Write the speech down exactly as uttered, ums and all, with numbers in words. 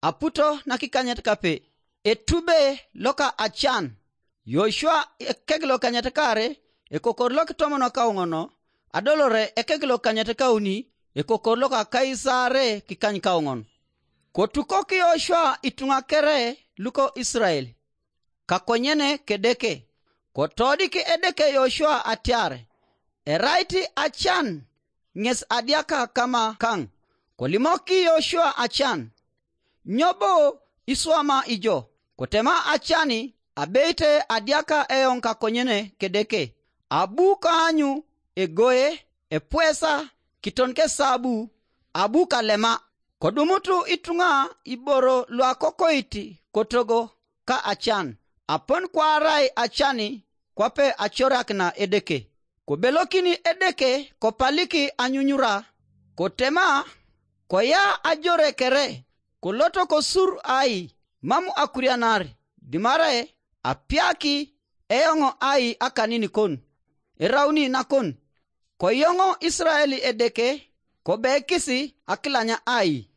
aputo nakikanyet kape. Etube loka Acan. Yoshua ekek lokanyet kare, ekokor lokitomono kauŋono, adolore ekek lokanyet kauni, ekokor loka Kaisare kikany kauŋon. Kotukok Yoshua ituŋa kere luko Israel, kakonyene Kedeke. Kotodik Edeke Yoshua atiar, erait Acan ŋes adiaka kama kaŋ. Kolimok Yoshua Acan, nyo bo iswama ijo? Kotema Acani, abeit adiaka eoŋ kakonyene Kedeke, abu kaanyu egoe, epwesa, kiton kesabu, abu kalema. Kodumutu ituŋa iboro luakokoit kotogo ka Acan, apon kwaarai Acani kwape acorakina Edeke. Kobelokini Edeke kopalik anyunyura, kotema, koya ajore kere, koloto kosur ai, mam akurianar, dimare apiaki eoŋ ai akanin kon, erauni nakon. Koyoŋo Israel Edeke, kobekisi akilanya ai.